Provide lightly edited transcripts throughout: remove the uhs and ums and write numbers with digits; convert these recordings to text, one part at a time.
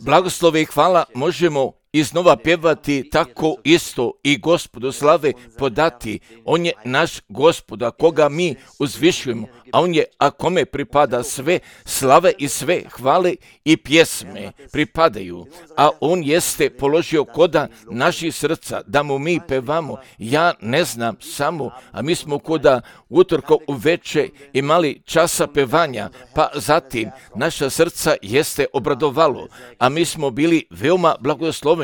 Blagoslove i hvala možemo iznova pjevati tako isto i Gospodu slave podati. On je naš Gospod, a koga mi uzvišujemo, a on je, a kome pripada sve slave i sve hvale i pjesme pripadaju. A on jeste položio koda naših srca, da mu mi pevamo. Ja ne znam samo, a mi smo koda utorka uveče imali časa pevanja, pa zatim naša srca jeste obradovalo, a mi smo bili veoma blagosloveni.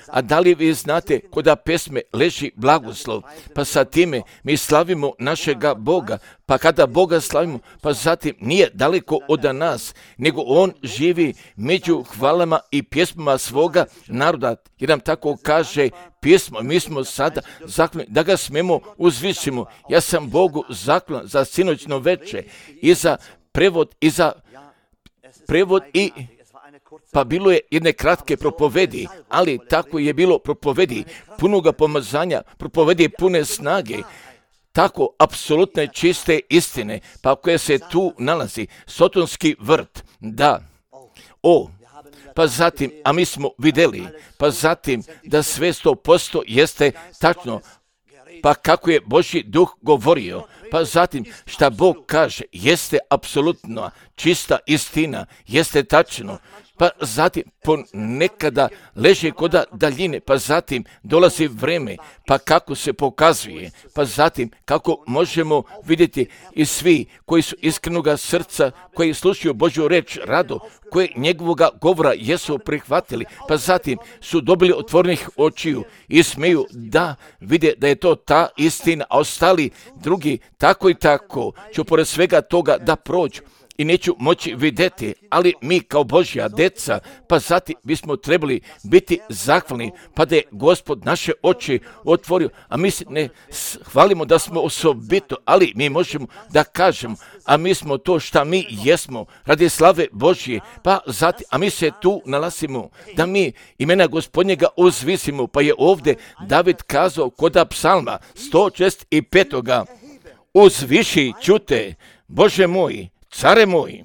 A da li vi znate koda pesme leži blagoslov, pa sa time mi slavimo našega Boga, pa kada Boga slavimo, pa zatim nije daleko od nas, nego on živi među hvalama i pjesmama svoga naroda, jer nam tako kaže pismo. Mi smo sada zahvalni da ga smemo uzvišimo. Ja sam Bogu zahvalan za sinoćno veče i za prevod i pa bilo je jedne kratke propovedi, ali tako je bilo propovedi punoga pomazanja, propovedi pune snage, tako apsolutne čiste istine, pa koje se tu nalazi, sotonski vrt, da, pa zatim, a mi smo vidjeli, pa zatim da sve 100% jeste tačno, pa kako je Božji duh govorio, pa zatim šta Bog kaže jeste apsolutno čista istina, jeste tačno, pa zatim ponekada leže koda daljine, pa zatim dolazi vreme, pa kako se pokazuje, pa zatim kako možemo vidjeti i svi koji su iskrenoga srca, koji slušaju Božju reč rado, koji njegovoga govora jesu prihvatili, pa zatim su dobili otvorenih očiju i smeju da vide da je to ta istina, a ostali drugi tako i tako ću pored svega toga da prođu i neću moći vidjeti, ali mi kao Božja deca, pa zatim bismo trebali biti zahvalni, pa da je Gospod naše oči otvorio, a mi se ne hvalimo da smo osobito, ali mi možemo da kažemo, a mi smo to šta mi jesmo, radi slave Božje, pa zatim, a mi se tu nalazimo, da mi imena Gospodnjega uzvisimo, pa je ovdje David kazao koda psalma 165. Uzviši čute, Bože moj, care moj,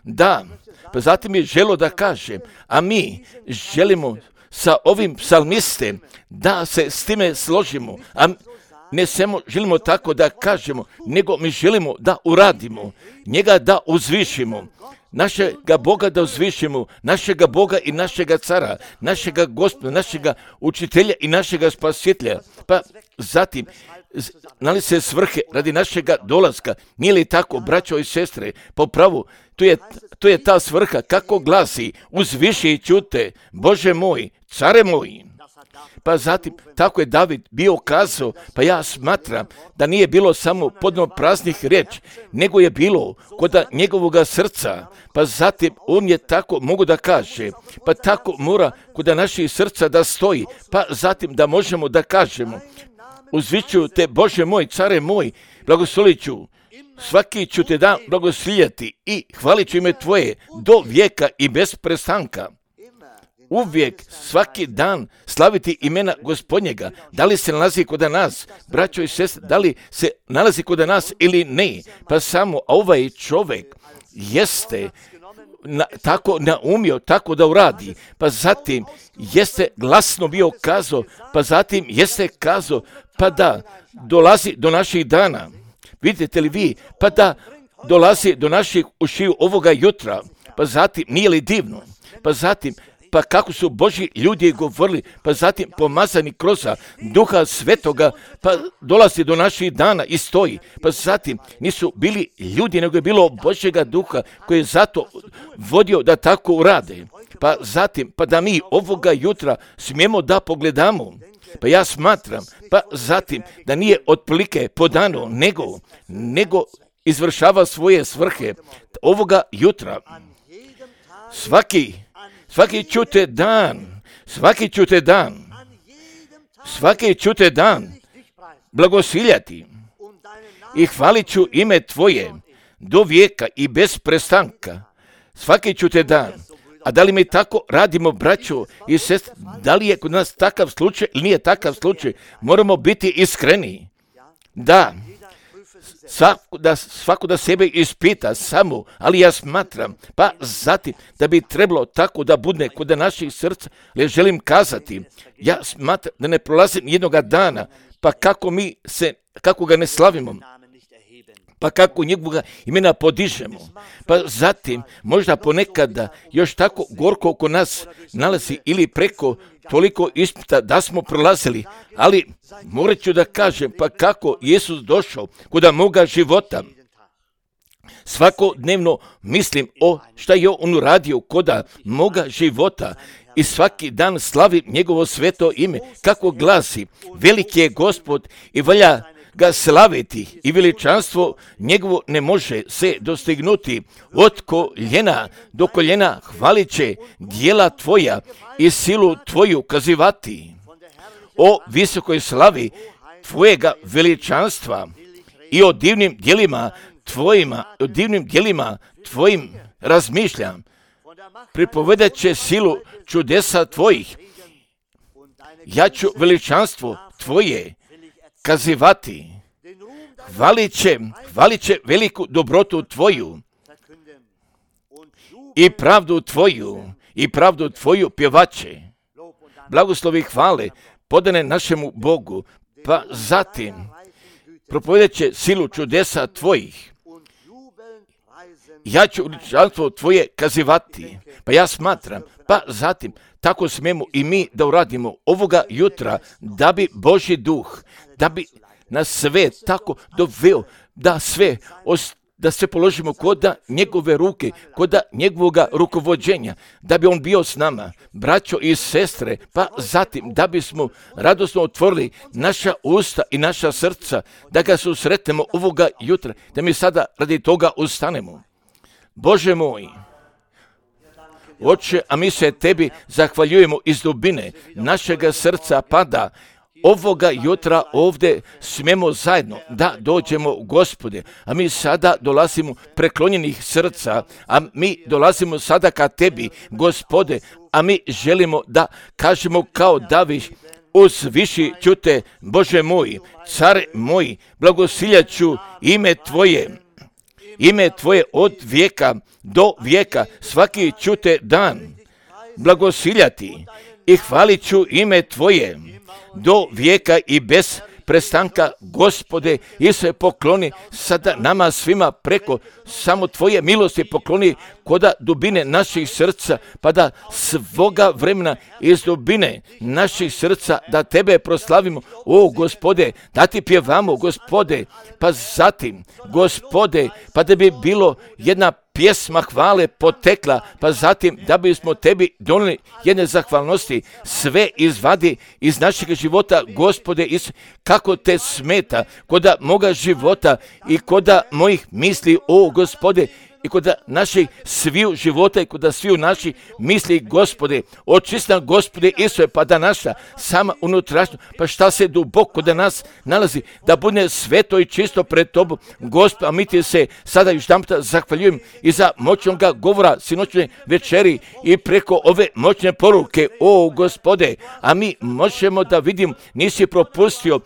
da, pa zatim je želo da kažem, a mi želimo sa ovim psalmistem da se s time složimo, a ne samo želimo tako da kažemo, nego mi želimo da uradimo, njega da uzvišimo, našega Boga da uzvišimo, našega Boga i našega cara, našega Gospoda, našega učitelja i našega spasitelja, pa zatim nali se svrhe radi našega dolaska, nije li tako, braćo i sestre, po pravu, to je ta svrha, kako glasi, uzviši i čute, Bože moj, care moj. Pa zatim, tako je David bio kazao, pa ja smatram da nije bilo samo podno praznih riječi, nego je bilo kod njegovoga srca, pa zatim on je tako, mogu da kaže, pa tako mora kod naših srca da stoji, pa zatim da možemo da kažemo, uzviću te, Bože moj, care moj, blagoslolit ću, svaki ću te dan blagoslijati i hvalit ću ime tvoje do vijeka i bez prestanka. Uvijek, svaki dan slaviti imena Gospodnjega. Da li se nalazi kod nas, braćo i sestre, da li se nalazi kod nas ili ne, pa samo ovaj čovjek jeste tako naumio, tako da uradi, pa zatim jeste glasno bio kazao, pa zatim jeste kazao, pa da dolazi do naših dana. Vidite li vi, pa da dolazi do naših ušiju ovoga jutra, pa zatim nije li divno, pa zatim pa kako su Božji ljudi govorili, pa zatim pomazani kroz Duha Svetoga, pa dolazi do naših dana i stoji, pa zatim nisu bili ljudi, nego je bilo Božjega Duha koji je zato vodio da tako urade, pa zatim, pa da mi ovoga jutra smijemo da pogledamo, pa ja smatram, pa zatim da nije otprilike podano, nego izvršava svoje svrhe ovoga jutra, svaki ću te dan blagosiljati i hvalit ću ime tvoje do vijeka i bez prestanka. Svaki ću te dan. A da li mi tako radimo, braćo i sestre? Da li je kod nas takav slučaj ili nije takav slučaj? Moramo biti iskreni. Da, svako da sebe ispita samo, ali ja smatram, pa zatim da bi trebalo tako da bude kod naših srca, jer želim kazati, ja smatram da ne prolazim jednoga dana, pa kako ga ne slavimo, pa kako njegovoga imena podižemo, pa zatim možda ponekada još tako gorko oko nas nalazi ili preko toliko ispita da smo prolazili, ali morat ću da kažem, pa kako Isus došao kod moga života. Svakodnevno mislim o šta je on uradio kod moga života i svaki dan slavim njegovo sveto ime, kako glasi, veliki je Gospod i valja ga slaviti i veličanstvo njegovo ne može se dostignuti. Od koljena do koljena hvalit će djela tvoja i silu tvoju kazivati. O visokoj slavi tvojega veličanstva i o divnim djelima tvojim razmišljam. Pripovedat će silu čudesa tvojih. Ja ću veličanstvo tvoje kazivati. Hvalit će veliku dobrotu tvoju i pravdu tvoju pjevaće. Blagoslovi hvale podane našemu Bogu, pa zatim propovedat će silu čudesa tvojih. Ja ću veličanstvo tvoje kazivati. Pa ja smatram, pa zatim tako smemo i mi da uradimo ovoga jutra, da bi Božji duh, da bi nas sve tako doveo, da sve položimo kod njegove ruke, kod njegovoga rukovođenja, da bi on bio s nama, braćo i sestre, pa zatim da bismo radosno otvorili naša usta i naša srca, da ga susretnemo ovoga jutra, da mi sada radi toga ustanemo. Bože moj, Oče, a mi se tebi zahvaljujemo iz dubine našega srca, pa da ovoga jutra ovdje smemo zajedno da dođemo, Gospode, a mi sada dolazimo preklonjenih srca, a mi dolazimo sada ka tebi, Gospode, a mi želimo da kažemo kao David, uzviši ću te, Bože moj, car moj, blagosiljat ću ime tvoje od vijeka do vijeka, svaki ću te dan blagosiljati i hvalit ću ime tvoje do vijeka i bez prestanka, Gospode, i se pokloni sada nama svima preko samo tvoje milosti pokloni koda dubine naših srca, pa da svoga vremena iz dubine naših srca da tebe proslavimo, o Gospode, da ti pjevamo, Gospode, pa zatim, Gospode, pa da bi bilo jedna pjesma hvale potekla, pa zatim da bismo tebi donijeli jedne zahvalnosti, sve izvadi iz našeg života, Gospode, kako te smeta koda moga života i koda mojih misli, o Gospode, i kod naših sviju života i kod sviju naših misli, Gospode, očistam, Gospode, Isuse, pa da naša sama unutrašnja, pa šta se duboko da nas nalazi, da bude sveto i čisto pred tobom, Gospod, a mi ti se sada još jedanput zahvaljujem i za moćnoga govora sinoćne večeri i preko ove moćne poruke, o Gospode, a mi možemo da vidim, nisi propustio,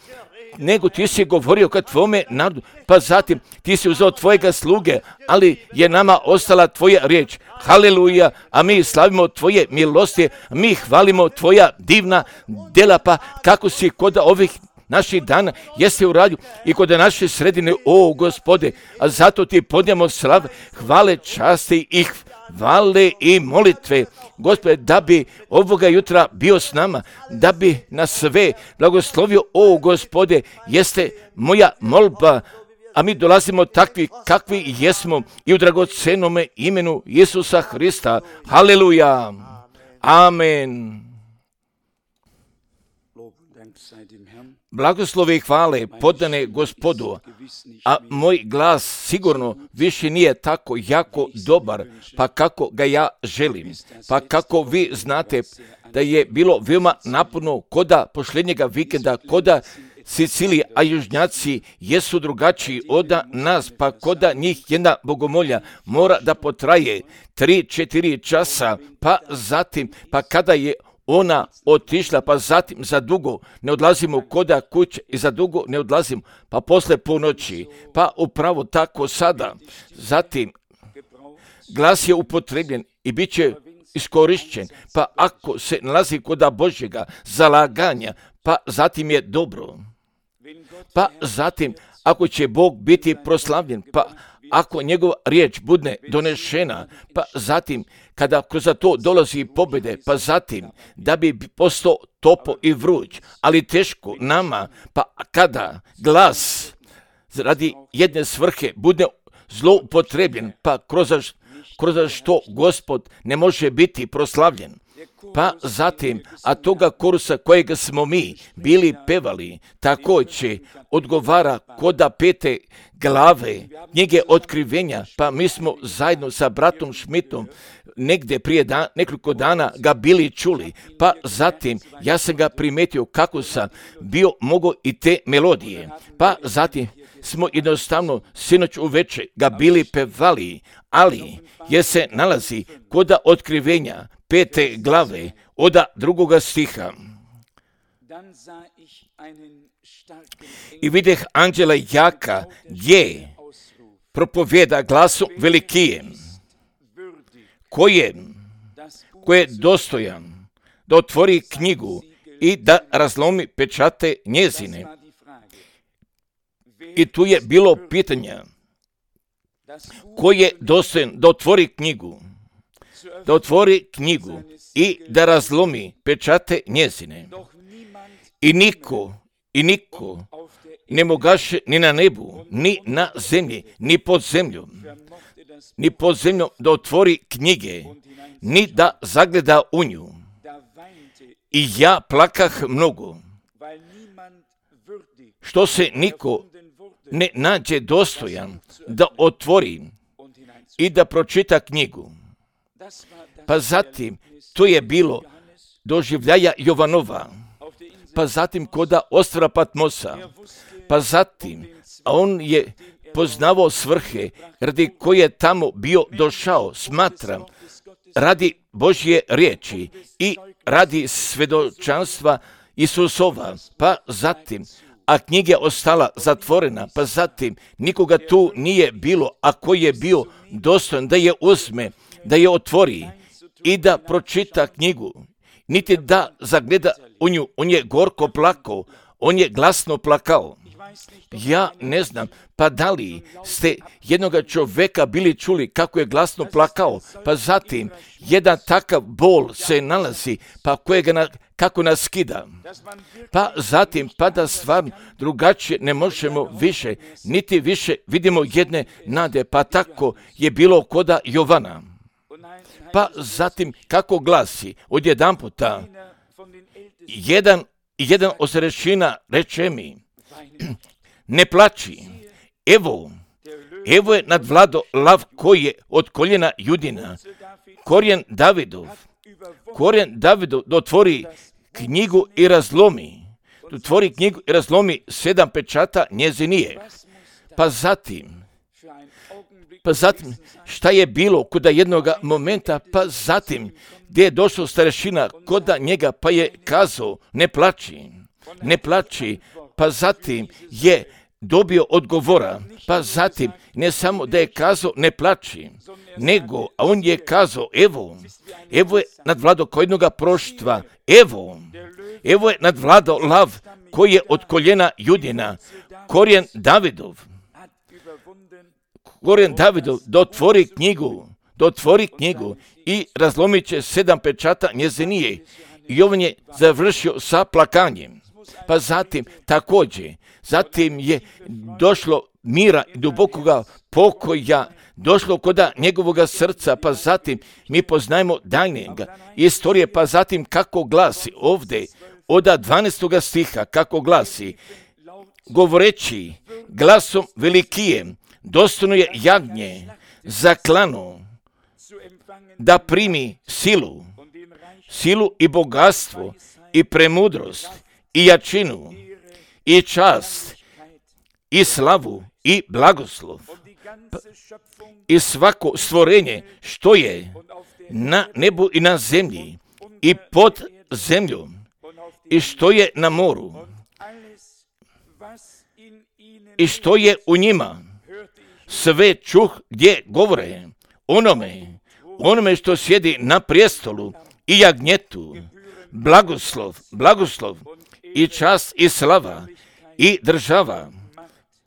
nego ti si govorio kad tvome narodu, pa zatim ti si uzeo tvojega sluge, ali je nama ostala tvoja riječ. Haleluja, a mi slavimo tvoje milosti, mi hvalimo tvoja divna dela, pa kako si kod ovih naših dana jeste uradio i kod naše sredine, o Gospode, a zato ti podnijemo slav, hvale, časti i hvale i molitve, Gospode, da bi ovoga jutra bio s nama, da bi nas sve blagoslovio, o Gospode, jeste moja molba, a mi dolazimo takvi kakvi jesmo i u dragocenome imenu Isusa Hrista. Haleluja. Amen. Blagoslovi i hvale podane Gospodu, a moj glas sigurno više nije tako jako dobar, pa kako ga ja želim. Pa kako vi znate da je bilo veoma naporno koda posljednjega vikenda, koda Sicilije, a južnjaci jesu drugačiji od nas, pa koda njih jedna bogomolja mora da potraje 3-4 časa, pa zatim, pa kada je ona otišla, pa zatim za dugo ne odlazimo koda kuće i za dugo ne odlazimo, pa posle ponoći, pa upravo tako sada. Zatim glas je upotrebljen i bit će iskorišćen, pa ako se nalazi koda Božjega zalaganja, pa zatim je dobro. Pa zatim, ako će Bog biti proslavljen, pa ako njegova riječ bude donešena, pa zatim, kada kroz to dolazi pobjede, pa zatim, da bi postao topo i vruć, ali teško nama, pa kada glas radi jedne svrhe bude zloupotrebljen, pa kroz što Gospod ne može biti proslavljen. Pa zatim, a toga korusa kojega smo mi bili pevali, također odgovara koda 5. glave knjige Otkrivenja, pa mi smo zajedno sa bratom Šmitom negdje prije nekoliko dana ga bili čuli, pa zatim ja sam ga primetio kako sam bio mogao i te melodije, pa zatim smo jednostavno sinoć uveče ga bili pevali, ali je se nalazi koda Otkrivenja 5. glave od 2. stiha. I videh anđela jaka gdje propovjeda glasom velikijem, ko je dostojan da otvori knjigu i da razlomi pečate njezine. I tu je bilo pitanja, ko je dostojan da otvori knjigu i da razlomi pečate njezine. I niko ne mogaše ni na nebu, ni na zemlji, ni pod zemljom da otvori knjige, ni da zagleda u nju. I ja plakah mnogo, što se niko ne nađe dostojan da otvori i da pročita knjigu. Pa zatim, to je bilo doživljaja Jovanova, pa zatim koda ostrva Patmosa, pa zatim, a on je poznavao svrhe radi koje je tamo bio došao, smatram, radi Božje riječi i radi svedočanstva Isusova, pa zatim, a knjiga je ostala zatvorena, pa zatim nikoga tu nije bilo, a koji je bio dostojan da je uzme, da je otvori i da pročita knjigu, niti da zagleda u nju. On je gorko plakao, on je glasno plakao. Ja ne znam, pa da li ste jednoga čovjeka bili čuli kako je glasno plakao, pa zatim jedan takav bol se nalazi, pa kako nas skida. Pa zatim, pa da stvarno drugačije ne možemo više, niti više vidimo jedne nade, pa tako je bilo koda Jovana. Pa zatim, kako glasi, odjedanputa, jedan od starešina reče mi, ne plači, evo je nadvlado lav koji je od koljena Judina, korijen Davidov, da otvori knjigu i razlomi, da razlomi 7 pečata njezinije. Pa zatim, šta je bilo koda jednoga momenta, pa zatim, gdje je došao starešina koda njega, pa je kazao, ne plači, pa zatim je dobio odgovora, pa zatim, ne samo da je kazao, ne plači, nego, a on je kazao, evo je nadvlado ko jednoga proštva, evo je nadvlado lav koji je od koljena Judina, korijen Davidov, da otvori knjigu i razlomit će 7 pečata njezinije. I on je završio sa plakanjem. Pa zatim također, zatim je došlo mira i dubokoga pokoja, došlo koda njegovoga srca, pa zatim mi poznajemo daljnjega istorije, pa zatim kako glasi ovdje, od 12. stiha, kako glasi, govoreći glasom velikijem, dostojno je jagnje zaklano da primi silu i bogatstvo i premudrost i jačinu i čast i slavu i blagoslov i svako stvorenje što je na nebu i na zemlji i pod zemlju i što je na moru i što je u njima. Sve čuh gdje govore onome što sjedi na prijestolu i jagnjetu, blagoslov i čast i slava i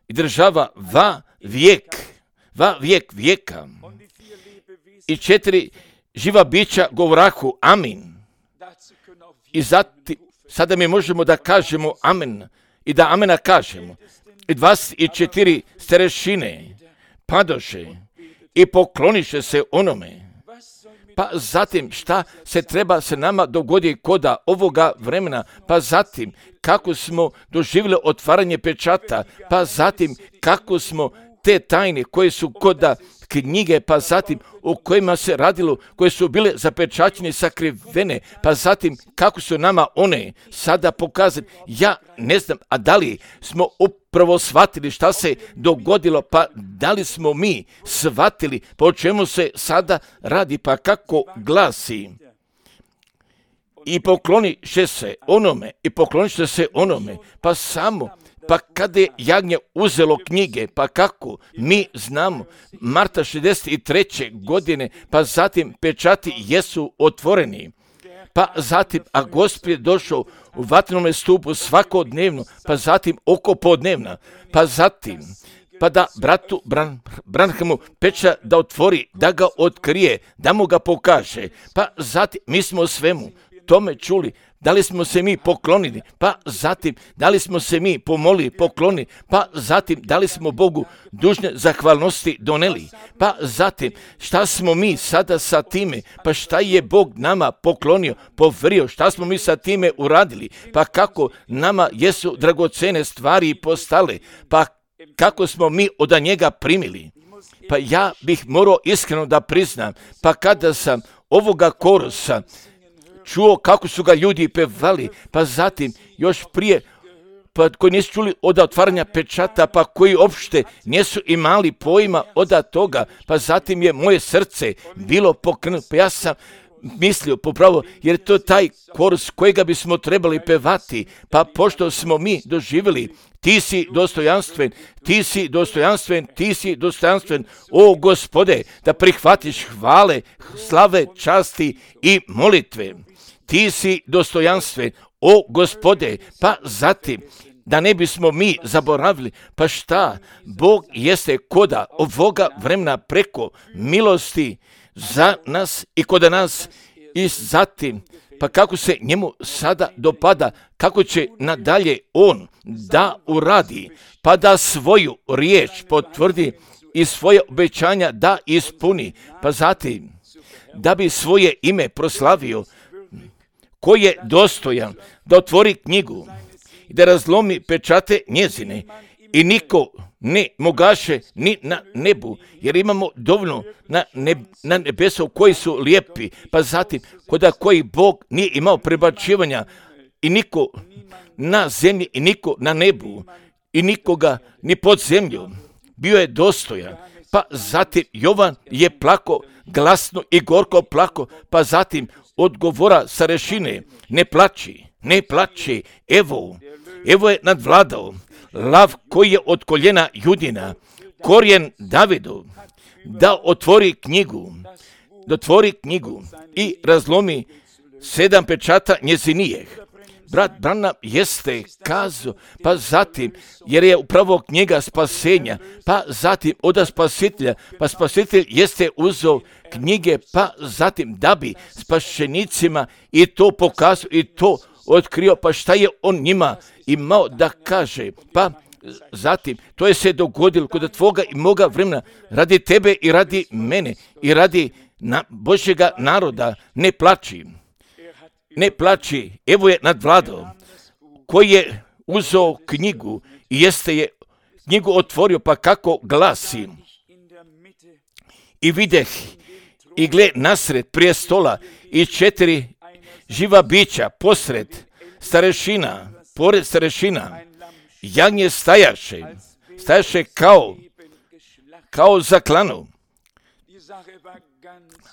država va vijek vijeka. I 4 živa bića govorahu amin. I sada mi možemo da kažemo amen i da amena kažemo. I 24 starešine padoše i pokloniše se onome. Pa zatim šta se treba se nama dogodi koda ovoga vremena, pa zatim kako smo doživjeli otvaranje pečata, pa zatim kako smo te tajne koje su koda knjige, pa zatim o kojima se radilo, koje su bile zapečaćene, sakrivene, pa zatim kako su nama one sada pokazane. Ja ne znam, a da li smo upravo shvatili šta se dogodilo, pa da li smo mi shvatili po čemu se sada radi, pa kako glasi. I pokloniše se onome, pa samo, pa kada je jagnje uzelo knjige, pa kako mi znamo, marta 63. godine, pa zatim pečati jesu otvoreni, pa zatim, a Gospod je došao u vatrenome stupu svakodnevno, pa zatim oko podnevna, pa zatim, pa da bratu Branhamu peča da otvori, da ga otkrije, da mu ga pokaže, pa zatim mi smo o svemu tome čuli. Da li smo se mi poklonili, pa zatim da li smo se mi pomolili, poklonili, pa zatim da li smo Bogu dužne zahvalnosti doneli, pa zatim šta smo mi sada sa time, pa šta je Bog nama poklonio, poverio, šta smo mi sa time uradili, pa kako nama jesu dragocene stvari postale, pa kako smo mi od njega primili. Pa ja bih morao iskreno da priznam, pa kada sam ovoga korusa čuo kako su ga ljudi pevali, pa zatim još prije, pa koji nisu čuli od otvaranja pečata, pa koji uopšte nisu imali pojma od toga, pa zatim je moje srce bilo pokrenuto, pa ja sam mislio popravo, jer to je taj korus kojega bismo trebali pevati, pa pošto smo mi doživjeli, ti si dostojanstven, o Gospode, da prihvatiš hvale, slave, časti i molitve. Ti si dostojanstven, o Gospode, pa zatim, da ne bismo mi zaboravili, pa šta, Bog jeste koda ovoga vremena preko milosti za nas i kod nas i zatim, pa kako se njemu sada dopada, kako će nadalje on da uradi, pa da svoju riječ potvrdi i svoje obećanja da ispuni, pa zatim da bi svoje ime proslavio, ko je dostojan da otvori knjigu i da razlomi pečate njezine i niko ne mogaše ni na nebu, jer imamo dovoljno na nebesu koji su lijepi, pa zatim koda koji Bog nije imao prebacivanja i niko na zemlji i niko na nebu i nikoga ni pod zemljom, bio je dostojan. Pa zatim Jovan je plako, glasno i gorko plako, pa zatim odgovora starešine, ne plači, evo je nadvladao, lav koji je od koljena Judina, korijen Davidu, da otvori knjigu i razlomi 7 pečata njezinijeh. Brat Branham jeste kazao, pa zatim, jer je upravo knjiga spasenja, pa zatim od spasitelja, pa spasitelj jeste uzeo knjige, pa zatim da bi spašenicima i to pokazao i to otkrio, pa šta je on njima imao da kaže, pa zatim to je se dogodilo kod tvoga i moga vremena, radi tebe i radi mene i radi Božjega naroda. Ne plači, evo je nadvladao, koji je uzeo knjigu i jeste je knjigu otvorio, pa kako glasi. I videh i gle nasred prestola i 4 živa bića pored starešina, jagnje stajaše kao za klanu.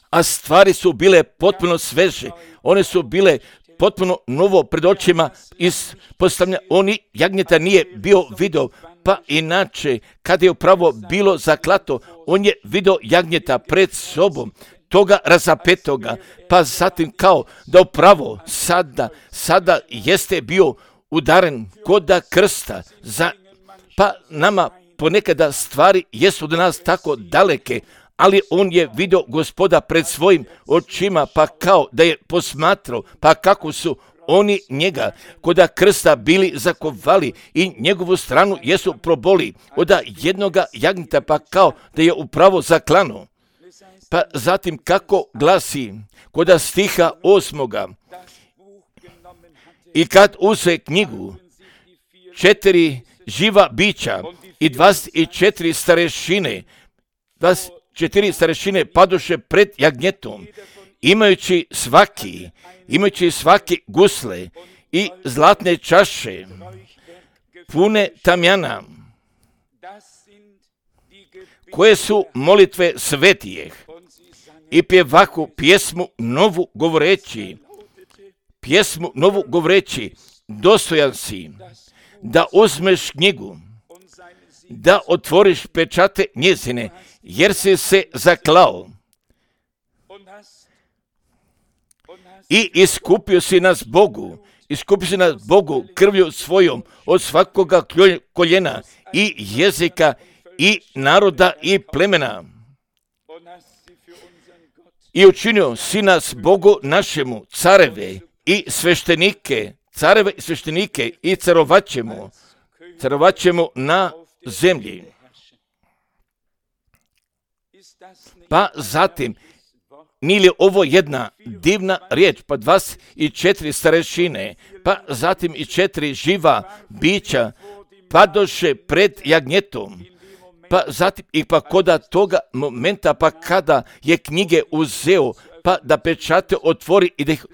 A stvari su bile potpuno sveže, one su bile potpuno novo pred očima ispostavlja. Oni jagnjeta nije bio video, pa inače, kada je upravo bilo zaklato, on je video jagnjeta pred sobom, toga razapetoga, pa zatim kao da upravo sada jeste bio udaren koda krsta, pa nama ponekada stvari jesu od nas tako daleke, ali on je vidio Gospoda pred svojim očima, pa kao da je posmatrao, pa kako su oni njega koda krsta bili zakovali i njegovu stranu jesu proboli od jednoga jagnjeta, pa kao da je upravo zaklano. Pa zatim kako glasi koda stiha 8. I kad uze knjigu 4 živa bića i 24 starešine, 24 starešine padoše pred jagnjetom, imajući svaki gusle i zlatne čaše, pune tamjana, koje su molitve svetijeh, i pjevahu pjesmu novu govoreći, dostojan si da uzmeš knjigu, da otvoriš pečate njezine, jer si se zaklao i iskupio si nas Bogu krvlju svojom od svakoga koljena i jezika i naroda i plemena. I učinio si nas Bogu našemu careve i sveštenike i carovat ćemo na zemlji. Pa zatim, nije li ovo jedna divna riječ, pa 24 starešine, pa zatim i 4 živa bića padoše pred jagnjetom, pa zatim i pa koda toga momenta, pa kada je knjige uzeo, pa da pečate otvori i da ih,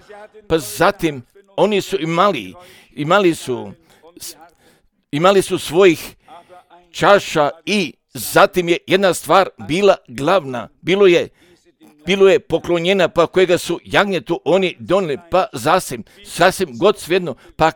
pa zatim oni su imali su svojih čaša i zatim je jedna stvar bila glavna, bilo je poklonjena, pa kojega su jagnjetu oni donijeli, pa sasvim god svejedno, pa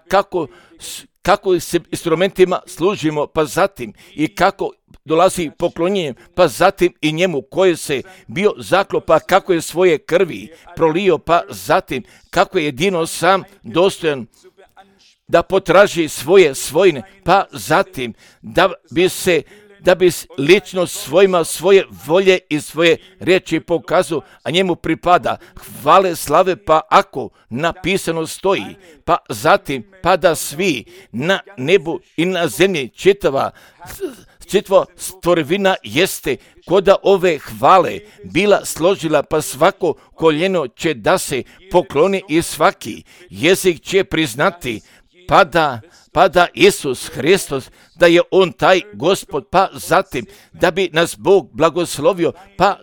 kako se instrumentima služimo, pa zatim i kako dolazi poklonjenje, pa zatim i njemu koji se bio zaklo, pa kako je svoje krvi prolio, pa zatim kako je jedino sam dostojan da potraži svoje svojine, pa zatim da bi lično svojima svoje volje i svoje riječi pokazao, a njemu pripada hvale, slave, pa ako napisano stoji, pa zatim pa da svi na nebu i na zemlji čitava stvorevina jeste koda ove hvale bila složila, pa svako koljeno će da se pokloni i svaki jezik će priznati pa da Isus Hristos, da je On taj Gospod, pa zatim da bi nas Bog blagoslovio, pa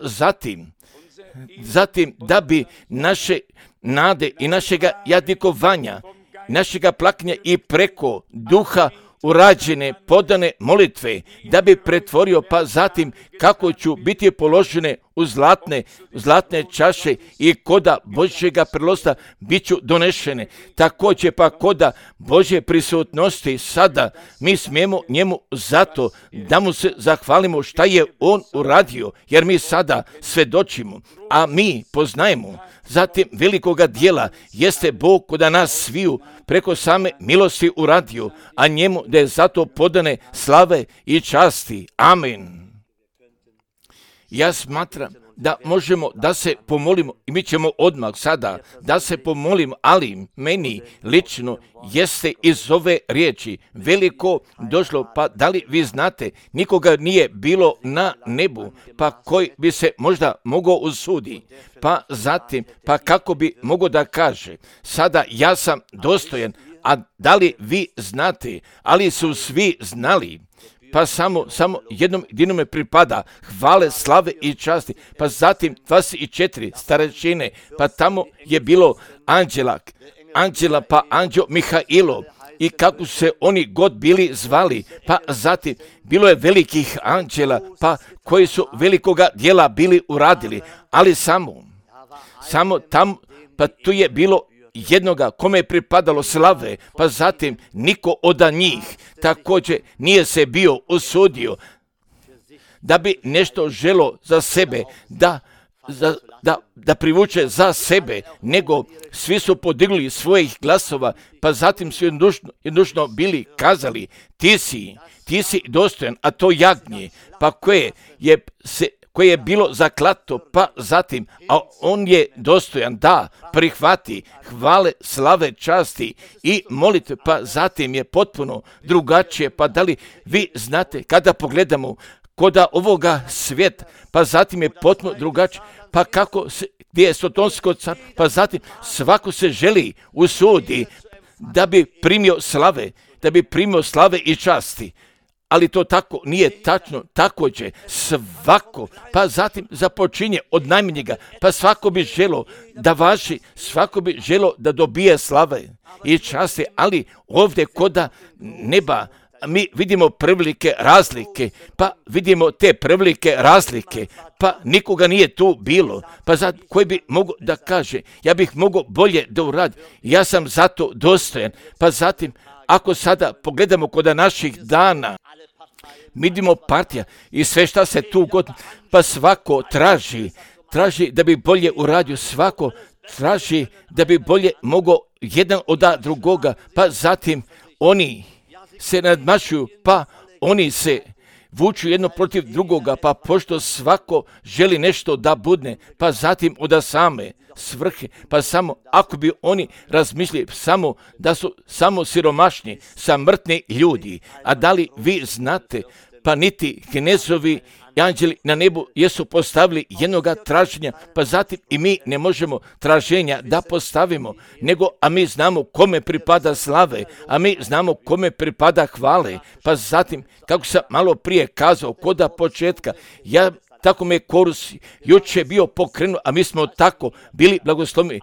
zatim da bi naše nade i našega jadikovanja, našega plakanja i preko duha urađene, podane molitve, da bi pretvorio, pa zatim kako ću biti položene u zlatne čaše i koda Božjega prilosta bit ću donešene. Također pa koda Božje prisutnosti sada mi smijemo njemu zato da mu se zahvalimo šta je on uradio, jer mi sada svedočimo, a mi poznajemo. Zatim velikoga dijela jeste Bog koda nas sviju preko same milosti uradio, a njemu da je zato podane slave i časti. Amen. Ja smatram da možemo da se pomolimo i mi ćemo odmah sada da se pomolimo, ali meni lično jeste iz ove riječi veliko došlo, pa da li vi znate, nikoga nije bilo na nebu, pa koji bi se možda mogao usudi, pa zatim, pa kako bi mogao da kaže, sada ja sam dostojan, a da li vi znate, ali su svi znali, pa samo jednom jedinome pripada hvale, slave i časti, pa zatim 24 starešine, pa tamo je bilo anđela, pa anđeo Mihailo, i kako se oni god bili zvali, pa zatim bilo je velikih anđela, pa koji su velikoga dijela bili uradili, ali samo tamo, pa tu je bilo jednoga kome je pripadalo slave, pa zatim niko od njih također nije se bio usudio da bi nešto želo za sebe, da privuče za sebe, nego svi su podigli svojih glasova, pa zatim su jednodušno bili kazali, ti si dostojan, a to jagnje, pa koje je bilo zaklato, pa zatim, a on je dostojan da prihvati hvale, slave, časti i molitve, pa zatim je potpuno drugačije. Pa da li vi znate, kada pogledamo koda ovoga svijeta, pa zatim je potpuno drugačije, pa gdje je sotonsko car, pa zatim svako se želi usudi da bi primio slave i časti. Ali to tako nije tačno, također svako, pa zatim započinje od najmanjega, pa svako bi želo da važi, svako bi želo da dobije slave i časti, ali ovdje koda neba mi vidimo prevelike razlike, pa vidimo te prevelike razlike, pa nikoga nije tu bilo, pa koji bi mogao da kaže, ja bih mogao bolje da uradim, ja sam zato dostojan, pa zatim, ako sada pogledamo kod naših dana, vidimo partija i sve šta se tu god, pa svako traži da bi bolje uradio, svako traži da bi bolje mogao jedan od drugoga, pa zatim oni se nadmašuju, pa oni se vuču jedno protiv drugoga, pa pošto svako želi nešto da budne, pa zatim od same svrhe, pa samo ako bi oni razmišljali samo da su samo siromašni, samrtni ljudi, a da li vi znate, pa niti knezovi i anđeli na nebu jesu postavili jednoga traženja, pa zatim i mi ne možemo traženja da postavimo, a mi znamo kome pripada slave, a mi znamo kome pripada hvale, pa zatim, kako sam malo prije kazao, koda početka, tako me korus juče bio pokrenut, a mi smo tako bili blagosloveni,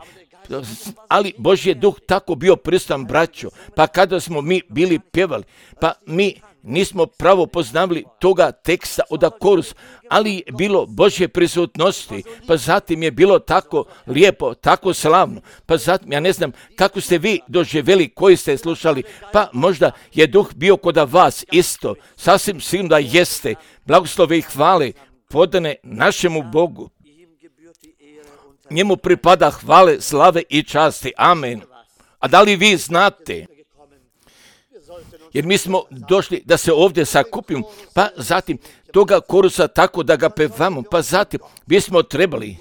ali Božji je duh tako bio prisutan, braćo, pa kada smo mi bili pjevali, pa mi nismo pravo poznavali toga teksta od korus, ali je bilo Božje prisutnosti, pa zatim je bilo tako lijepo, tako slavno, pa zatim ja ne znam kako ste vi doživjeli koji ste slušali, pa možda je duh bio kod vas isto, sasvim sigurno da jeste, blagoslove i hvale podane našemu Bogu. Njemu pripada hvale, slave i časti. Amen. A da li vi znate? Jer mi smo došli da se ovdje sakupimo, pa zatim toga korusa tako da ga pevamo, pa zatim bismo trebali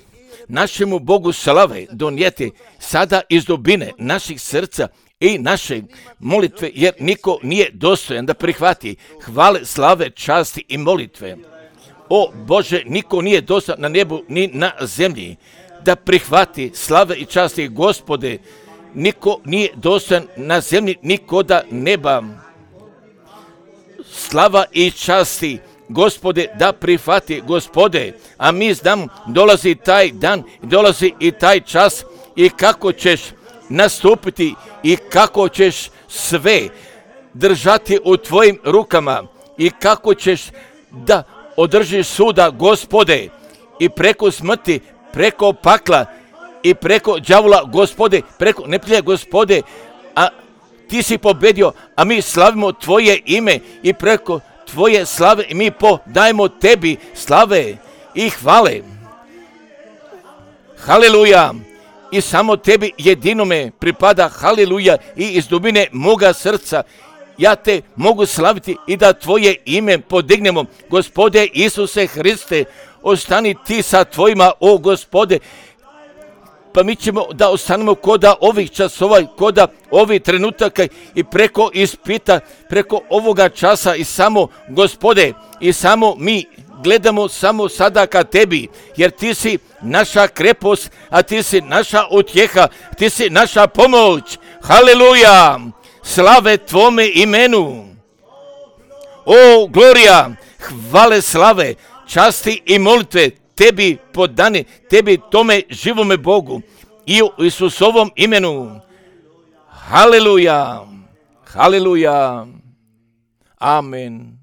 našemu Bogu slave donijeti sada iz dubine naših srca i naše molitve, jer niko nije dostojan da prihvati hvale, slave, časti i molitve. O Bože, niko nije dostojan na nebu ni na zemlji da prihvati slave i časti. Gospode, niko nije dostojan na zemlji ni koda neba. Slava i časti, Gospode, da prihvati, Gospode, a mi znamo, dolazi taj dan, dolazi i taj čas i kako ćeš nastupiti i kako ćeš sve držati u tvojim rukama i kako ćeš da održiš suda, Gospode, i preko smrti, preko pakla i preko đavola, Gospode, preko neprijatelja, Gospode, a ti si pobedio, a mi slavimo tvoje ime i preko tvoje slave i mi podajemo tebi slave i hvale. Haleluja! I samo tebi jedinome pripada haleluja i iz dubine moga srca ja te mogu slaviti i da tvoje ime podignemo. Gospode Isuse Hriste, ostani ti sa tvojima, o Gospode, pa mi ćemo da ostanemo koda ovih časova, koda ovih trenutaka i preko ispita, preko ovoga časa i samo, Gospode, i samo mi gledamo samo sada ka tebi, jer ti si naša krepost, a ti si naša utjeha, ti si naša pomoć. Haleluja! Slave tvome imenu. O, glorija, hvale, slave, časti i molitve tebi podane, tebi tome živome Bogu i u Isusovom imenu. Haleluja, haleluja, amen.